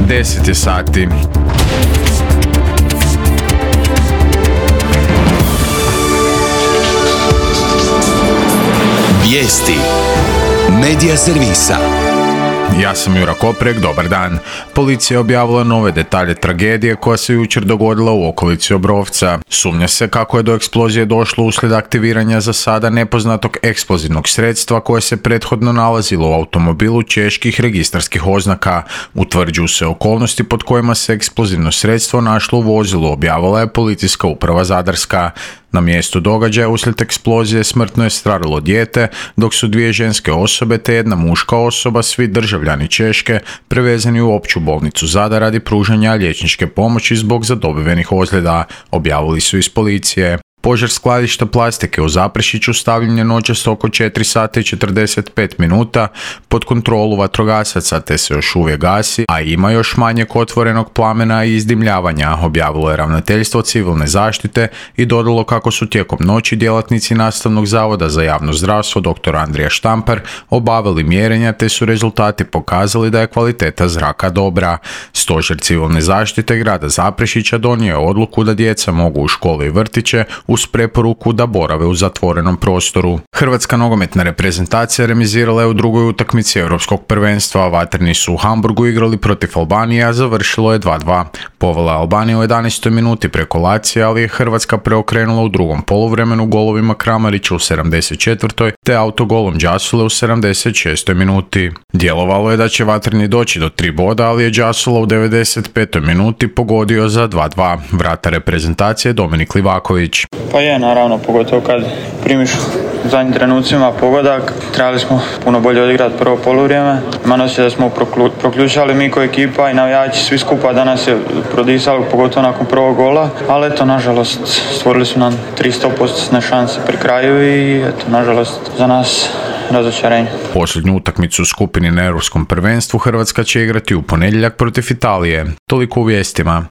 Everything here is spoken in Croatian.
10 je sati. Vijesti Medija servisa. Ja sam Jura Koprek, dobar dan. Policija je objavila nove detalje tragedije koja se jučer dogodila u okolici Obrovca. Sumnja se kako je do eksplozije došlo uslijed aktiviranja za sada nepoznatog eksplozivnog sredstva koje se prethodno nalazilo u automobilu čeških registarskih oznaka. Utvrđuju se okolnosti pod kojima se eksplozivno sredstvo našlo u vozilu, objavila je Policijska uprava Zadarska. Na mjestu događaja uslijed eksplozije smrtno je stradalo dijete, dok su 2 ženske osobe te jedna muška osoba, svi državljani Češke, prevezeni u opću bolnicu Zadar radi pružanja liječničke pomoći zbog zadobivenih ozljeda, objavili su iz policije. Požar skladišta plastike u Zaprešiću stavljen je noćas oko 4 sata i 45 minuta pod kontrolu vatrogasaca te se još uvijek gasi, a ima još manjeg otvorenog plamena i izdimljavanja, objavilo je Ravnateljstvo civilne zaštite i dodalo kako su tijekom noći djelatnici Nastavnog zavoda za javno zdravstvo dr. Andrija Štampar obavili mjerenja te su rezultati pokazali da je kvaliteta zraka dobra. Stožer civilne zaštite grada Zaprešića donio je odluku da djeca mogu u škole i vrtiće uz preporuku da borave u zatvorenom prostoru. Hrvatska nogometna reprezentacija remizirala je u drugoj utakmici Europskog prvenstva. Vatreni su u Hamburgu igrali protiv Albanije, a završilo je 2:2. Povela Albanija u 11. minuti preko Lacija, ali je Hrvatska preokrenula u drugom poluvremenu golovima Kramarića u 74. te autogolom Đasule u 76. minuti. Djelovalo je da će Vatreni doći do 3 boda, ali je Đasula u 95. minuti pogodio za 2:2. Vratar reprezentacije Dominik Livaković. Pa je, naravno, pogotovo kad primiš u zadnjim trenucima pogodak. Trebali smo puno bolje odigrati prvo poluvrijeme. Imam osjećaj da smo proključali mi ko ekipa i navijači svi skupa danas je prodisali, pogotovo nakon prvog gola. Ali eto, nažalost, stvorili su nam 300% šanse pri kraju i eto, nažalost, za nas razočarenje. Posljednju utakmicu u skupini na Europskom prvenstvu Hrvatska će igrati u ponedjeljak protiv Italije. Toliko u vijestima.